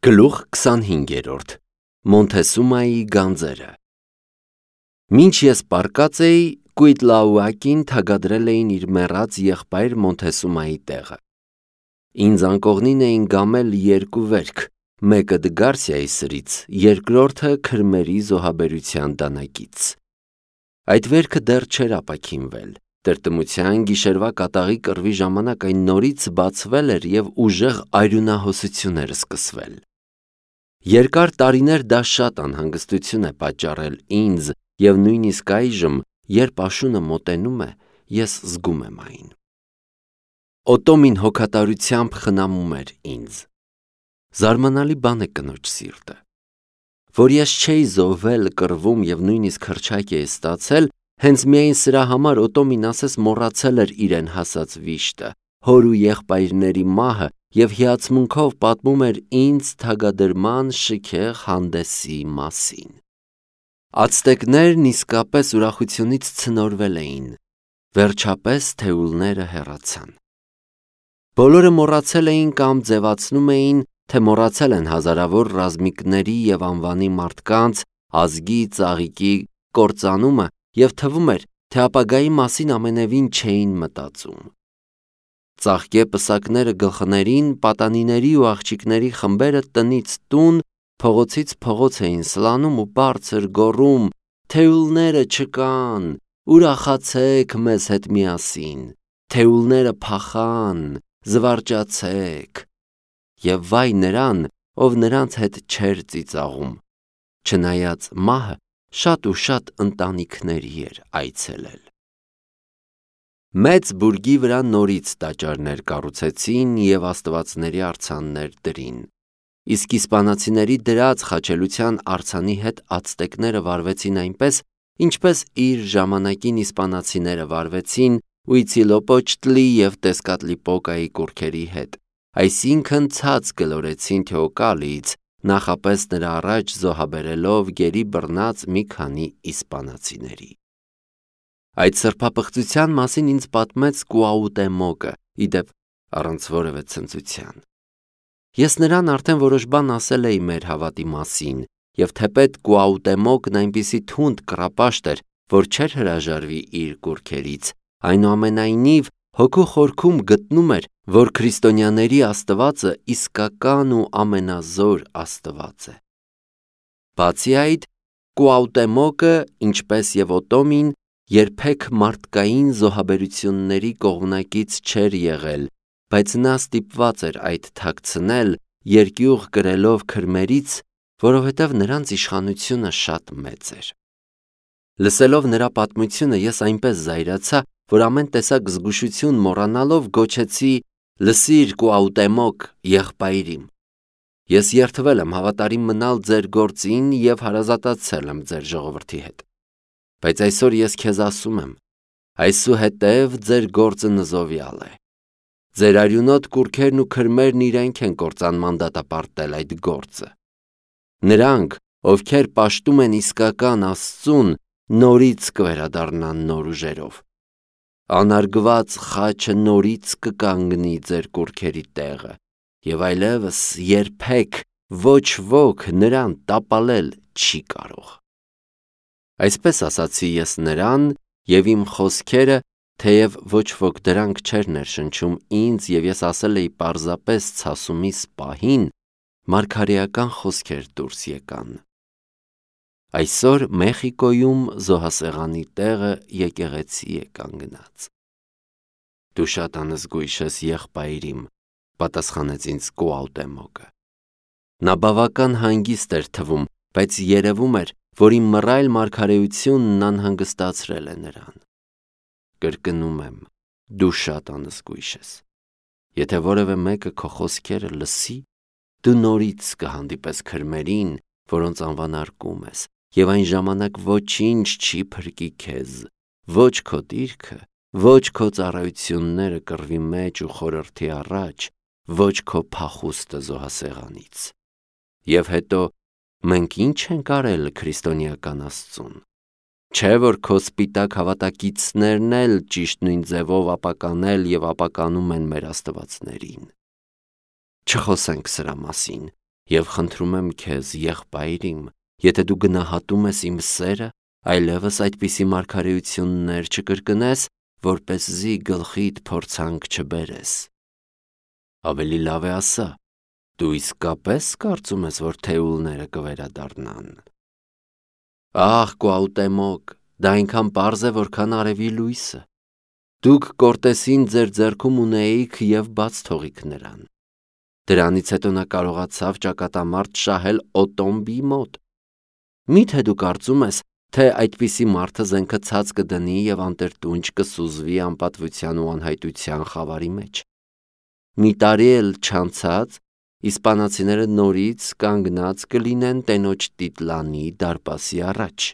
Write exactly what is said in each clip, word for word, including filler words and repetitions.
Գլուխ քսանհինգերորդ Մոնթեսումայի գանձերը Մինչ ես պառկած էի, Կուիտլաուակին թագադրել էին իր մեռած եղբայր Մոնթեսումայի տեղը։ Ինձ անկողնին էին գամել երկու վերք, մեկը Դգարսիայի սրից, երկրորդը Քրմերի զոհաբերության դանակից։ Այդ վերքը դեռ չէր ապաքինվել։ Տրտմության գիշերվա կատաղի կռվի ժամանակ այն նորից բացվել էր և ուժեղ արյունահոսություն էր սկսվել։ Երկար տարիներ դա շատ անհանգստություն է պատճառել ինձ և նույնիսկ այժմ, երբ աշունը մոտենում է, ես զգում եմ այն։ Օտոմին հոգատարությամբ խնամում էր ինձ։ Զարմանալի բան է կնոջ սիրտը։ Որ ես չէի զոհվել, կռվում և նույնիսկ հռչակ էի ստացել, հենց միայն սրա համար Օտոմին ասես մոռացել էր իրեն հասած վիշտը, հոր ու եղբայրների մահը և հիացմունքով պատմում էր ինձ թագադրման շքեղ հանդեսի մասին։ Ացտեկներն իսկապես ուրախությունից ցնորվել էին։ Վերջապես թեուլները հեռացան։ Բոլորը մոռացել էին կամ ձևացնում էին, թե մոռացել են հազարավոր ռազմիկների և անվանի մարդկանց, ազգի, ծաղիկի կործանումը և թվում էր, թե ապագայի մասին ամենևին չէին մտածում։ Ծաղկե պսակները գլխներին, պատանիների ու աղջիկների խմբերը տնից տուն, փողոցից փողոց էին սլանում ու բարձր գոռում. «Թեուլները չկան, ուրախացեք մեզ հետ միասին, թեուլները փախան, զվարճացեք»։ Եվ վայ նրան, ով նրանց հետ չէր ծիծաղում, չնայած մահը շատ ու շատ ընտանիքների էր այցելել։ Մեծ բուրգի վրա նորից տաճարներ կառուցեցին և աստվածների արձաններ դրին, իսկ իսպանացիների դրած խաչելության արձանի հետ ացտեկները վարվեցին այնպես, ինչպես իր ժամանակին իսպանացիները վարվեցին Ուիցիլոպոչտլի և Տեսկատլիպոկայի կուռքերի հետ, այսինքն ցած գլորեցին Թեոկալիից, նախապես նրա առաջ զոհաբերելով գերի բռնած մի քանի իսպանացիների։ Այդ սրբապղծության մասին ինձ պատմեց Կուաուտեմոկը, ի դեպ, առանց որևէ ցնծության։ Ես նրան արդեն որոշ բան ասել էի մեր հավատի մասին, և թեպետ Կուաուտեմոկն այնպիսի թունդ կռապաշտ էր, որ չէր հրաժարվի իր կուռքերից, այնուամենայնիվ հոգու խորքում գտնում էր, որ քրիստոնյաների Աստվածը իսկական ու ամենազոր Աստված է։ Բացի այդ, Կուաուտեմոկը, ինչպես և Օտոմին, երբեք մարդկային զոհաբերությունների կողմնակից չէր եղել, բայց նա ստիպված էր այդ թաքցնել, երկյուղ կրելով Քրմերից, որովհետև նրանց իշխանությունը շատ մեծ էր։ Լսելով նրա պատմությունը, ես այնպես զայրացա, որ ամեն տեսակ զգուշություն մոռանալով գոչեցի. «Լսիր, Կուաուտեմոկ, եղբայրիմ, ես երդվել եմ հավատարիմ մնալ ձեր գործին և հարազատացել եմ ձեր ժողովրդի հետ։ Բայց այսօր ես քեզ ասում եմ. այսուհետև ձեր գործը նզովյալ է։ Ձեր արյունոտ կուռքերն ու քրմերն իրենք են կործանման դատապարտել այդ գործը։ Նրանք, ովքեր պաշտում են իսկական Աստծուն, նորից կվերադառնան նոր ուժերով։ Անարգված խաչը նորից կկանգնի ձեր կուռքերի տեղը, և այլևս երբեք ոչ ոք նրան տապալել չի կարող»։ Այսպես ասացի ես նրան, և իմ խոսքերը, թեև ոչ ոք դրանք չէր ներշնչում ինձ և ես ասել էի պարզապես ցասումիս պահին, մարգարեական խոսքեր դուրս եկան։ Այսօր Մեխիկոյում զոհասեղանի տեղը եկեղեցի է կանգնած։ Դու շատ անզգույշ ես, եղբայրիմ, պատասխանեց ինձ Կուաուտեմոկը։ Նա բավական հանգիստ էր թվում, բայց երևում էր, որ իմ մռայլ մարգարեությունն անհանգստացրել է նրան։ Կրկնում եմ, դու շատ անզգույշ ես։ Եթե որևէ մեկը քո խոսքերը լսի, դու նորից կհանդիպես քրմերին, որոնց անվանարկում ես, և այն ժամանակ ոչինչ չի փրկի քեզ, ոչ քո դիրքը, ոչ քո ծառայությունները կռվի մեջ ու խորհրդի առաջ, ոչ քո փախուստը զոհասեղանից։ Եվ հետո, մենք ի՞նչ ենք արել քրիստոնեական Աստծուն։ Չէ՞ որ քո սպիտակ հավատակիցներն էլ ճիշտ նույն ձևով ապականել և ապականում են մեր աստվածներին։ Չխոսենք սրա մասին, Եվ խնդրում եմ քեզ, եղբայր իմ, եթե դու գնահատում ես իմ սերը, այլևս այդպիսի մարգարեություններ չկրկնես, որպեսզի գլխիդ փորձանք չբերես։ Ավելի լավ է ասա, դու իսկապես կարծում ես, որ թեուլները կվերադառնան։ Ահ, Կուաուտեմոկ, դա այնքան պարզ է, որքան արևի լույսը։ Դուք Կորտեսին ձեր ձեռքում ունեիք և բաց թողիք նրան։ Դրանից հետո նա կարողացավ ճակատամարտ շահել Օտոմբի մոտ։ Մի՞թե դու կարծում ես, թե այդպիսի մարդը զենքը ցած կդնի և անտրտունջ կսուզվի անպատվության ու անհայտության խավարի մեջ։ Մի տարի էլ չանցած, իսպանացիները նորից կանգնած կլինեն տենոջ Տիտլանի դարպասի առաջ։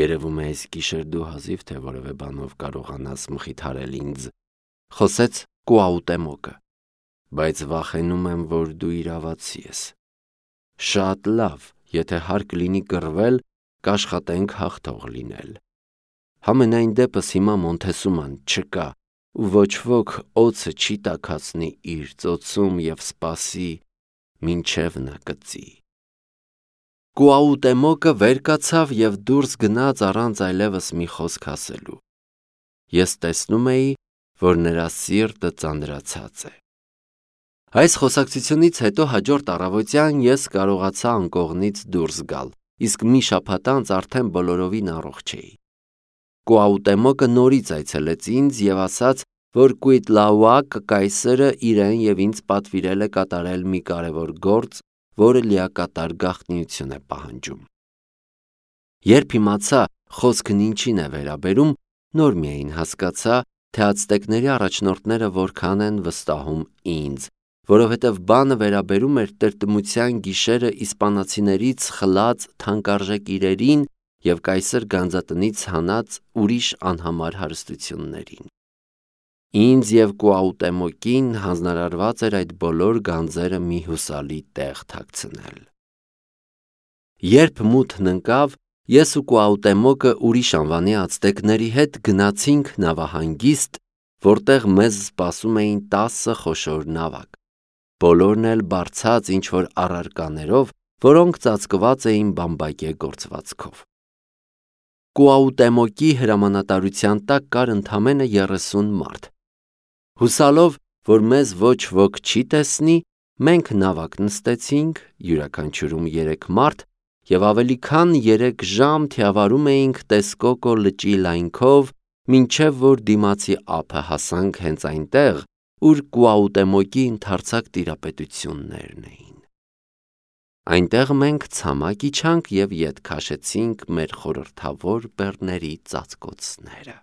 Երևում է այս գիշեր դու հազիվ թե որևէ բանով կարողանաս մխիթարել ինձ, խոսեց Կուաուտեմոկը, բայց վախենում եմ, որ դու իրավացի ես։ Շատ լավ, եթե հարկ լինի կռվել, կաշխատենք հաղթող լինել։ Համենայն դեպս հիմա Մոնթեսուման չկա, ու ոչ ոք օձը չի տաքացնի իր ծոցում և սպասի, մինչև նա կծի։ Կուաուտեմոկը վեր կացավ և դուրս գնաց առանց այլևս մի խոսք ասելու։ Ես տեսնում էի, որ նրա սիրտը ծանրացած է։ Այս խոսակցությունից հետո հաջորդ առավոտյան ես կարողացա անկողնից դուրս գալ, իսկ մի շաբաթ անց արդեն բոլորովին առողջ էի։ Կուաուտեմոկը նորից այցելեց ինձ և ասաց, որ Կուիտլաուակ կայսրը իրեն և ինձ պատվիրել է կատարել մի կարևոր գործ, որը լիակատար գաղտնիություն է պահանջում։ Երբ իմացա խոսքն ինչին է վերաբերում, նոր միայն հասկացա, թե ացտեկների առաջնորդները որքան են վստահում ինձ, որովհետև բանը վերաբերում էր տրտմության գիշերը իսպանացիներից խլած թանկարժեք իրերին և կայսր գանձատնից հանած ուրիշ անհամար հարստություններին։ Ինձ և Կուաուտեմոկին հանձնարարված էր այդ բոլոր գանձերը մի հուսալի տեղ թաքցնել։ Երբ մութն ընկավ, ես ու Կուաուտեմոկը ուրիշ անվանի ացտեկների հետ գնացինք նավահանգիստ, որտեղ մեզ սպասում էին տասը խոշոր նավակ, բոլորն էլ բարձած ինչ-որ առարկաներով, որոնք ծածկված էին բամբակե գործվածքով։ Կուաուտեմոկի հրամանատարության տակ կար ընդամենը երեսուն մարդ։ Հուսալով, որ մեզ ոչ ոք չի տեսնի, մենք նավակ նստեցինք, յուրաքանչյուրում երեք մարդ, և ավելի քան երեք ժամ թիավարում էինք Տեսկոկո լճի լայնքով, մինչև որ դիմացի ափը հասանք հենց այնտեղ, ուր Կուաուտեմոկի ընդարձակ տիրապետություններն էին։ Այնտեղ մենք ցամաք իջանք և ետ քաշեցինք մեր խորհրդավոր բեռների ծածկոցները։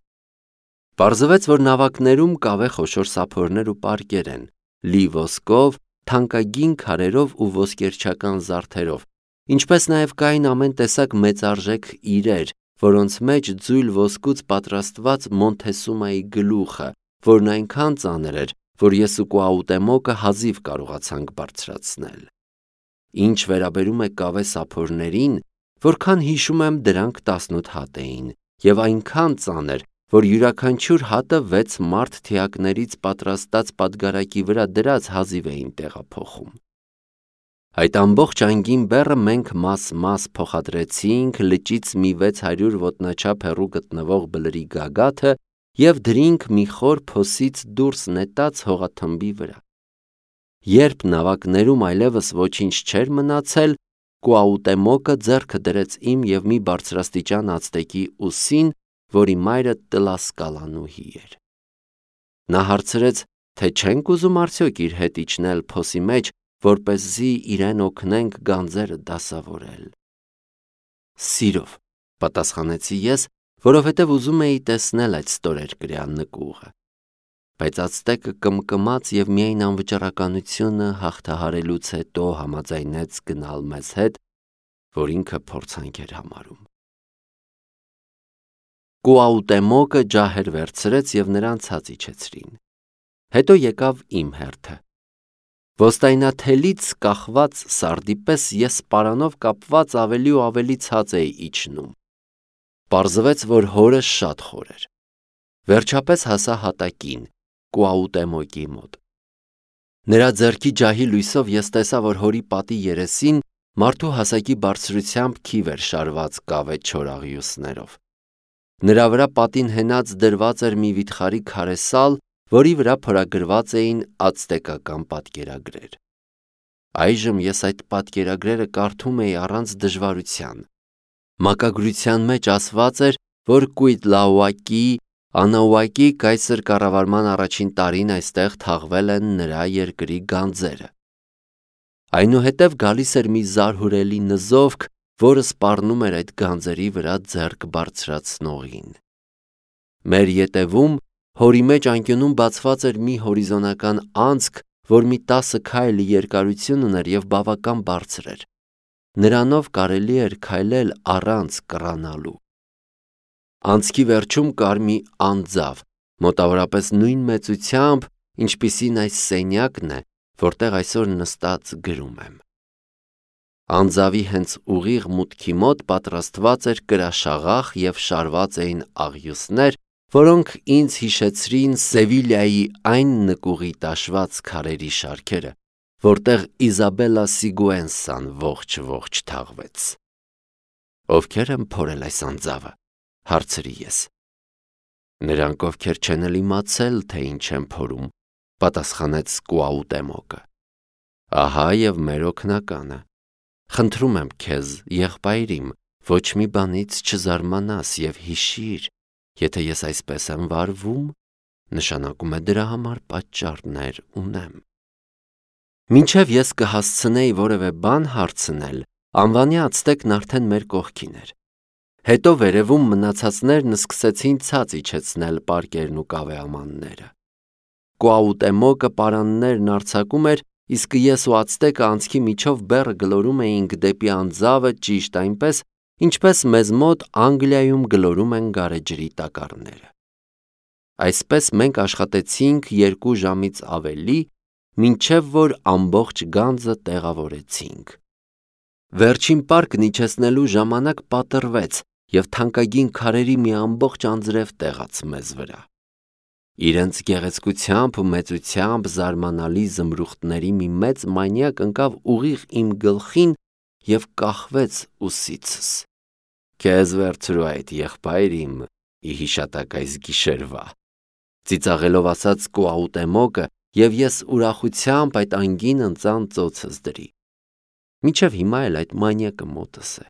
Պարզվեց, որ նավակներում կավե խոշոր սափորներ ու պարկեր են, լի ոսկով, թանկագին քարերով ու ոսկերչական զարդերով, ինչպես նաև կային ամեն տեսակ մեծարժեք իրեր, որոնց մեջ ձույլ ոսկուց պատրաստված Մոնթեսումայի գլուխը, որն այնքան ծանր էր, որ ես ու Կուաուտեմոկը հազիվ կարողացանք բարձրացնել։ Ինչ վերաբերում է կավե սափորներին, որքան հիշում եմ, դրանք տասնութ հատ էին և այնքան ծանր, որ յուրաքանչյուր հատը վեց մարդ թիակներից պատրաստած պատգարակի վրա դրած հազիվ էին տեղափոխում։ Այդ ամբողջ անգին բեռը մենք մաս-մաս փոխադրեցինք լճից մի վեց հարյուր ոտնաչափ հեռու գտնվող բլրի գագաթը և դրինք մի խոր փոսից դուրս նետած հողաթմբի վրա։ Երբ նավակներում այլևս ոչինչ չէր մնացել, Կուաուտեմոկը ձեռքը դրեց իմ և մի բարձրաստիճան ացտեկի ուսին, որի մայրը Տլասկալանուհի էր։ Նա հարցրեց, թե չենք ուզում արդյոք իր հետ իջնել փոսի մեջ, որպեսզի իրեն օգնենք գանձերը դասավորել։ Սիրով, պատասխանեցի ես, որովհետև ուզում էի տեսնել այդ ստորերկրյա նկուղը։ Բայց ացտեկը կմկմաց և միայն անվճռականությունը հաղթահարելուց հետո համաձայնեց գնալ մեզ հետ, որ ինքը փորձանք էր համարում։ Կուաուտեմոկը ջահեր վերցրեց և նրան ցած իջեցրին։ Հետո եկավ իմ հերթը։ Ոստայնաթելից կախված սարդի պես ես պարանով կապված ավելի ու ավելի ցած էի իջնում։ Պարզվեց, որ հորը շատ խոր էր։ Վերջապես հասա հատակին, Կուաուտեմոկի մոտ։ Նրա ձեռքի ջահի լույսով ես տեսա, որ հորի պատի երեսին մարդու հասակի բարձրությամբ քիվ էր շարված կավե չորաղյուսներով։ Նրա վրա պատին հենած դրված էր մի վիթխարի քարե սալ, որի վրա փորագրված էին ացտեկական պատկերագրեր։ Այժմ ես այդ պատկերագրերը կարդում էի առանց դժվարության։ Մակագրության մեջ ասված էր, որ Կուիտլաուակի Անաուակի կայսր կառավարման առաջին տարին այստեղ թաղվել են նրա երկրի գանձերը։ Այնուհետև գալիս էր մի զարհուրելի նզովք, որը սպառնում էր այդ գանձերի վրա ձեռք բարձրացնողին։ Մեր ետևում հորի մեջ անկյունում բացված էր մի հորիզոնական անցք, որ մի տասը քայլ երկարություն ուներ և բավական բարձր էր։ Նրանով կարելի էր քայլել առանց կռանալու։ Անցքի վերջում կար մի անձավ, մոտավորապես նույն մեծությամբ, ինչպիսին այս սենյակն է, որտեղ այսօր նստած գրում եմ։ Անձավի հենց ուղիղ մուտքի մոտ պատրաստված էր կրաշաղախ և շարված էին աղյուսներ, որոնք ինձ հիշեցրին Սևիլիայի այն նկուղի տաշված քարերի շարքերը, որտեղ Իզաբելլա Սիգուենսան ողջ-ողջ թաղվեց։ Ովքեր են փորել այս անձավը, հարցրի ես։ Նրանք, ովքեր չեն էլ իմացել, թե ինչ են փորում, պատասխանեց Կուաուտեմոկը։ Ահա և մեր օգնականը։ Խնդրում եմ քեզ, եղբայրիմ, ոչ մի բանից չզարմանաս և հիշիր, եթե ես այսպես եմ վարվում, նշանակում է դրա համար պատճառներ ունեմ։ Մինչև ես կհասցնեի որևէ բան հարցնել, անվանի ացտեկն արդեն մեր կողքին էր։ Հետո վերևում մնացածներն սկսեցին ցած իջեցնել պարկերն ու կավեամանները։ Կուաուտեմոկը պարաններն արձակում էր, իսկ ես ու ացտեկը անցքի միջով բեռը գլորում էինք դեպի անձավը ճիշտ այնպես, ինչպես մեզ մոտ Անգլիայում գլորում են գարեջրի տակառները։ Այսպես մենք աշխատեցինք երկու ժամից ավելի, մինչև որ ամբողջ գանձը տեղավորեցինք։ Վերջին պարկն իջեցնելու ժամանակ պատռվեց և թանկագին քարերի մի ամբողջ անձրև տեղաց մեզ վրա։ Իրենց գեղեցկությամբ ու մեծությամբ զարմանալի զմրուխտների մի մեծ մանյակ ընկավ ուղիղ իմ գլխին և կախվեց ուսիցս։ Քեզ վերցրու այդ, եղբայրիմ, ի հիշատակ այս գիշերվա, ծիծաղելով ասաց Կուաուտեմոկը, և ես ուրախությամբ այդ անգին ընծան ծոցս դրի։ Մինչև հիմա էլ այդ մանյակը մոտս է։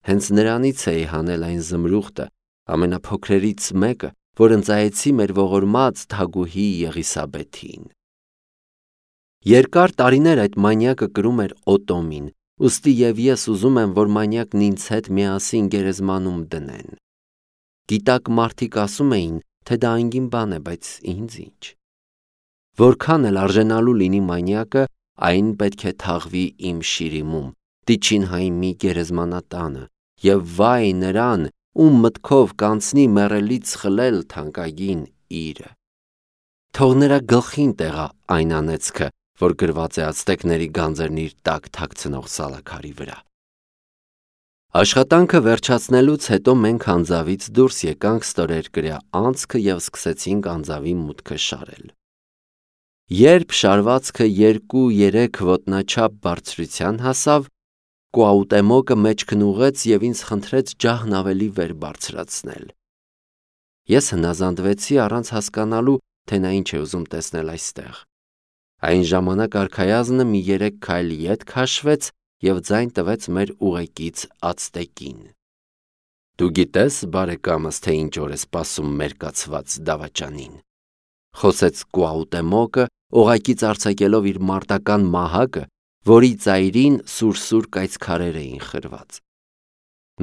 Հենց նրանից էի հանել այն զմրուխտը, ամենափոքրերից մեկը, որ ընծայեցի մեր ողորմած թագուհի Եղիսաբեթին։ Երկար տարիներ այդ մանյակը կրում էր Օտոմին, ուստի և ես ուզում եմ, որ մանյակն ինձ հետ միասին գերեզմանում դնեն։ Գիտակ մարդիկ ասում էին, թե դա անգին բան է, բայց ինձ ինչ։ Որքան էլ արժենալու լինի մանյակը, այն պետք է թաղվի իմ շիրիմում, Տիչինհայի մի գերեզմանատանը, և վայ նրան, ում մտքով կանցնի մեռելից խլել թանկագին իրը։ Թող նրա գլխին տեղա այն անեծքը, որ գրված է ացտեկների գանձերն իր տակ թաքցնող սալաքարի վրա։ Աշխատանքը վերջացնելուց հետո մենք անձավից դուրս եկանք ստորերկրյա անցքը և սկսեցինք անձավի մուտքը շարել։ Երբ շարվածքը երկու-երեք ոտնաչափ բարձրության հասավ, Կուաուտեմոկը մեջքն ուղղեց և ինձ խնդրեց ջահն ավելի վեր բարձրացնել։ Ես հնազանդվեցի առանց հասկանալու, թե նա ինչ է ուզում տեսնել այստեղ։ Այն ժամանակ արքայազնը մի երեք քայլ ետ քաշվեց և ձայն տվեց մեր ուղեկից ացտեկին։ Դու գիտես, բարեկամս, թե ինչ օր է սպասում մերկացված դավաճանին, խոսեց Կուաուտեմոկը, օղակից արձակելով իր մարտական մահակը, որի ծայրին սուր-սուր կայծքարեր էին խրված։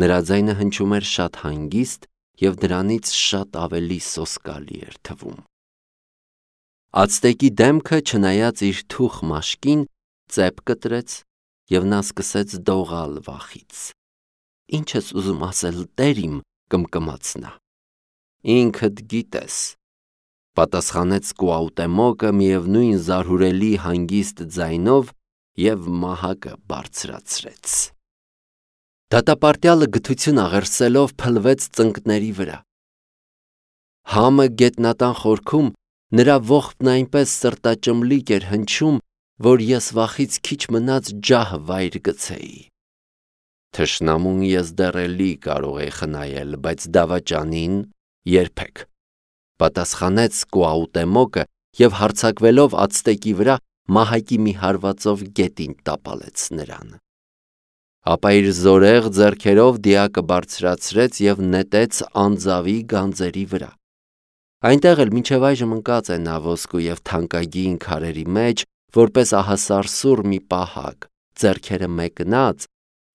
Նրա ձայնը հնչում էր շատ հանգիստ և դրանից շատ ավելի սոսկալի էր թվում։ Ացտեկի դեմքը, չնայած իր թուխ մաշկին, ծեպ կտրեց, և նա սկսեց դողալ վախից։ Ինչ ես ուզում ասել, տեր իմ, կմկմաց նա։ Ինքդ գիտես, պատասխանեց Կուաուտեմոկը միևնույն զարհուրելի հանգիստ ձայնով և մահակը բարձրացրեց։ Դատապարտյալը գթություն աղերսելով փլվեց ծնկների վրա։ Համը գետնատան խորքում Նրա ողբն այնպես սրտաճմլիկ էր հնչում, որ ես վախից քիչ մնաց ջահը վայր գցեի։ Թշնամուն ես դեռ էլի կարող էի խնայել, բայց դավաճանին երբեք, պատասխանեց Կուաուտեմոկը և հարձակվելով ացտեկի վրա մահակի մի հարվածով գետին տապալեց նրան։ Ապա իր զորեղ ձեռքերով դիակը բարձրացրեց և նետեց անձավի գանձերի վրա։ Այնտեղ էլ մինչև այժմ ընկած է նա ոսկու և թանկագին քարերի մեջ, որպես ահասարսուռ մի պահակ, ձեռքերը մեկնած,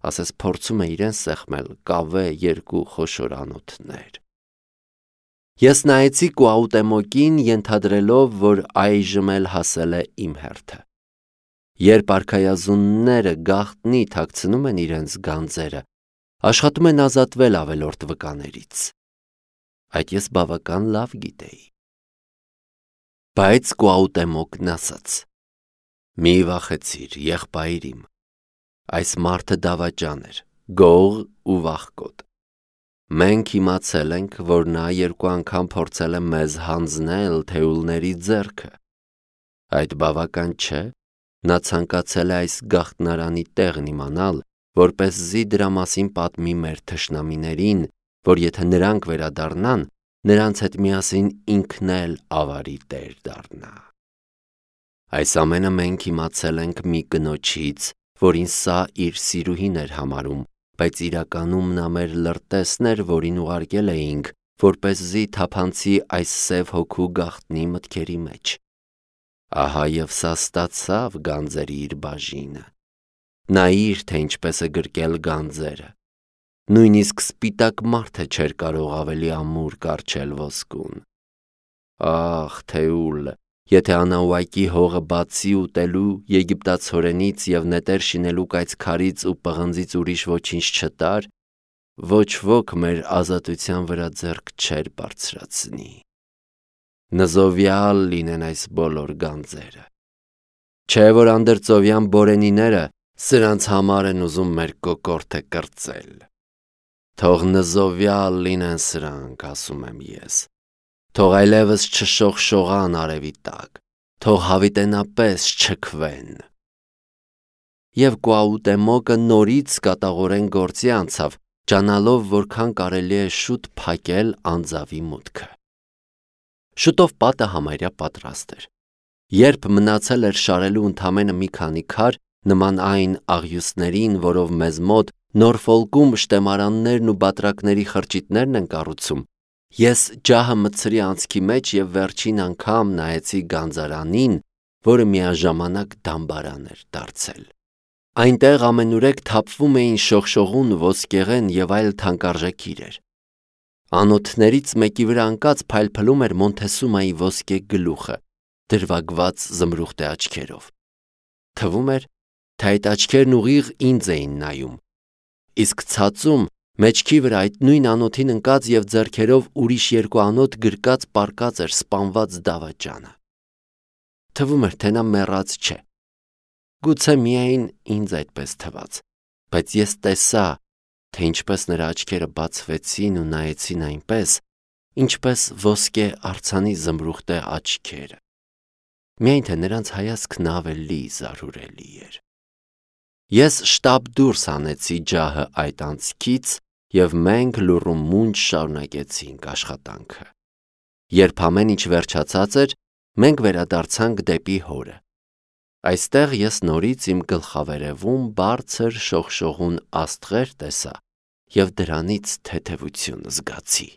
ասես փորձում է իրեն սեղմել կավե երկու խոշոր անոթներ։ Ես նայեցի Կուաուտեմոկին, ենթադրելով, որ այժմ էլ հասել է իմ հերթը։ Երբ արքայազունները գաղտնի թաքցնում են իրենց գանձերը, աշխատում են ազատվել ավելորդ վկաներից։ Այդ ես բավական լավ գիտեի։ Բայց Կուաուտեմոկն ասաց. «Մի վախեցիր, եղբայր իմ, այս մարդը դավաճան էր, գող ու վախկոտ։ Մենք իմացել ենք, որ նա երկու անգամ փորձել է մեզ հանձնել թեուլների ձեռքը։ Այդ բավական չէ, նա ցանկացել է այս գաղտնարանի տեղն իմանալ, որպեսզի դրա մասին պատմի մեր թշնամիներին, որ եթե նրանք վերադառնան, նրանց հետ միասին ինքն էլ ավարի տեր դառնա։ Այս ամենը մենք իմացել ենք մի կնոջից, որին սա իր սիրուհին էր համարում, բայց իրականում նա մեր լրտեսն էր, որին ուղարկել էինք, որպեսզի թափանցի այս սև հոգու գաղտնի մտքերի մեջ։ Ահա և սա ստացավ գանձերի իր բաժինը։ Նայիր, թե ինչպես է գրկել գանձերը։ Նույնիսկ սպիտակ մարդը չէր կարող ավելի ամուր կառչել ոսկուն։ Ախ, թեուլ, եթե Անաուակի հողը բացի ուտելու եգիպտացորենից և նետեր շինելու կայծքարից ու պղնձից ուրիշ ոչինչ չտար, ոչ ոք մեր ազատության վրա ձեռք չէր բարձրացնի։ Նզովյալ լինեն այս բոլոր գանձերը։ Չէ որ անդրծովյան բորենիները սրանց համար են ուզում մեր կոկորդը կրծել։ Թող նզովյալ լինեն սրանք, ասում եմ ես, թող այլևս չշողշողան արևի տակ, թող հավիտենապես չքվեն։ Եվ Կուաուտեմոկը նորից կատաղորեն գործի անցավ, ջանալով, որքան կարելի է շուտ փակել անձավի մուտքը։ Շուտով պատը համարյա պատրաստ էր։ Երբ մնացել էր շարելու ընդամենը մի քանի քար, նման այն աղյուսներին, որով մեզ մոտ Նորֆոլկում շտեմարաններն ու բատրակների խրճիթներն են կառուցում, ես ջահը մտցրի անցքի մեջ և վերջին անգամ նայեցի գանձարանին, որը միաժամանակ դամբարան էր դարձել։ Այնտեղ ամենուրեք թափվում էին շողշողուն, ոսկեղեն և այլ թանկարժեք իրեր։ Անոթներից մեկի վրա ընկած փայլփլում էր Մոնթեսումայի ոսկե գլուխը, դրվագված զմրուխտե աչքերով։ Թվում էր, թե այդ աչքերն ուղիղ ինձ էին նայում, իսկ ցածում մեջքի վրա այդ նույն անոթին ընկած և ձեռքերով ուրիշ երկու անոթ գրկած պառկած էր սպանված դավաճանը։ Թվում էր, թե նա մեռած չէ։ Գուցե միայն ինձ այդպես թվաց, բայց ես տեսա, թե ինչպես նրա աչքերը բացվեցին ու նայեցին այնպես, ինչպես ոսկե արձանի զմրուխտե աչքերը, միայն թե նրանց հայացքն ավելի զարհուրելի էր։ Ես շտապ դուրս հանեցի ջահը այդ անցքից և մենք լուռ ու մունջ շարունակեցինք աշխատանքը։ Երբ ամեն ինչ վերջացած էր, մենք վերադարձանք դեպի հորը։ Այստեղ ես նորից իմ գլխավերևում բարձր շողշողուն աստղեր տեսա և դրանից թեթևություն զգացի։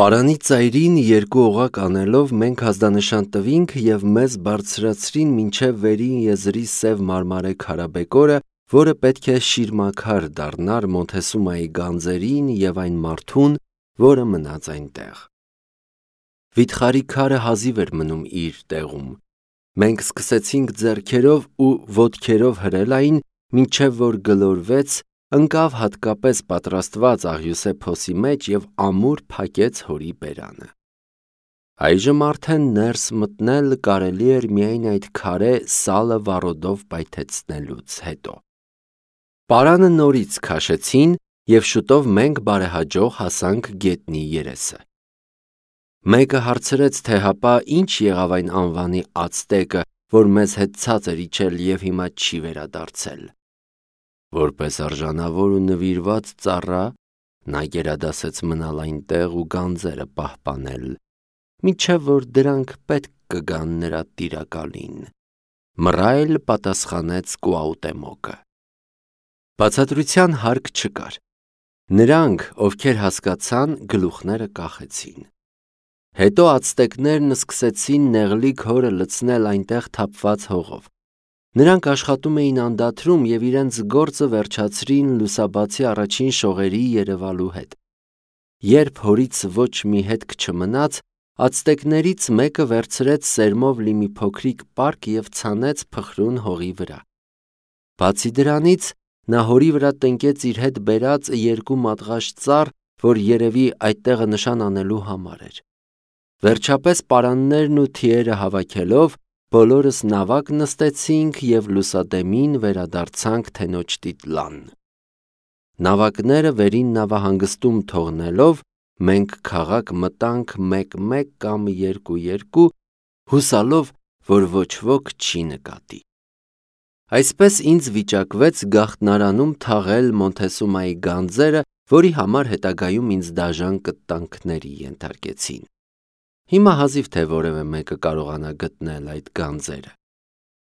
Պարանի ծայրին երկու օղակ անելով մենք ազդանշան տվինք և մեզ բարձրացրին մինչև վերին եզրի սև մարմարե քարաբեկորը, որը պետք է շիրմաքար դառնար Մոնթեսումայի գանձերին և այն մարդուն, որը մնաց այնտեղ։ Վիթխարի քարը հազիվ էր մնում իր տեղում։ Մենք սկսեցինք ձեռքերով ու ոտքերով հրել այն, մինչև որ գլորվեց, ընկավ հատկապես պատրաստված աղյուսե փոսի մեջ և ամուր փակեց հորի բերանը։ Այժմ արդեն ներս մտնել կարելի էր միայն այդ քարե սալը վառոդով պայթեցնելուց հետո։ Պարանը նորից քաշեցին և շուտով մենք բարեհաջող հասանք գետնի երեսը։ Մեկը հարցրեց, թե հապա ինչ եղավ այն անվանի ացտեկը, որ մեզ հետ ցած էր իջել և հիմա չի վերադարձել։ Որպես արժանավոր ու նվիրված ծառա, նա գերադասեց մնալ այնտեղ ու գանձերը պահպանել, մինչև որ դրանք պետք կգան նրա տիրակալին։ Մռայլ պատասխանեց Կուաուտեմոկը։ Բացատրության հարկ չկար։ Նրանք, ովքեր հասկացան, գլուխները կախեցին։ Հետո ացտեկներն սկսեցին նեղլիկ հորը լցնել այնտեղ թափված հողով։ Նրանք աշխատում էին անդադրում և իրենց գործը վերջացրին լուսաբացի առաջին շողերի երևալու հետ։ Երբ հորից ոչ մի հետք չմնաց, ացտեկներից մեկը վերցրեց սերմով լի մի փոքրիկ պարկ և ցանեց փխրուն հողի վրա։ Բացի դրանից, նա հորի վրա տնկեց իր հետ բերած երկու մատղաշ ծառ, որ երևի այդտեղը նշան անելու համար էր։ Վերջապես պարաններն ու թիերը հավաքելով, բոլորս նավակ նստեցինք և լուսադեմին վերադարձանք թենոջ դիտլան։ Նավակները վերին նավահանգստում թողնելով, մենք քաղաք մտանք մեկ-մեկ կամ երկու-երկու, հուսալով, որ ոչ ոք չի նկատի։ Այսպես ինձ վիճակվեց գաղտնարանում թաղել Մոնթեսումայի գանձերը, որի համար հետագայում ինձ դաժան կտանքների ենթարկեցին։ Հիմա հազիվ թե որևէ մեկը կարողանա գտնել այդ գանձերը։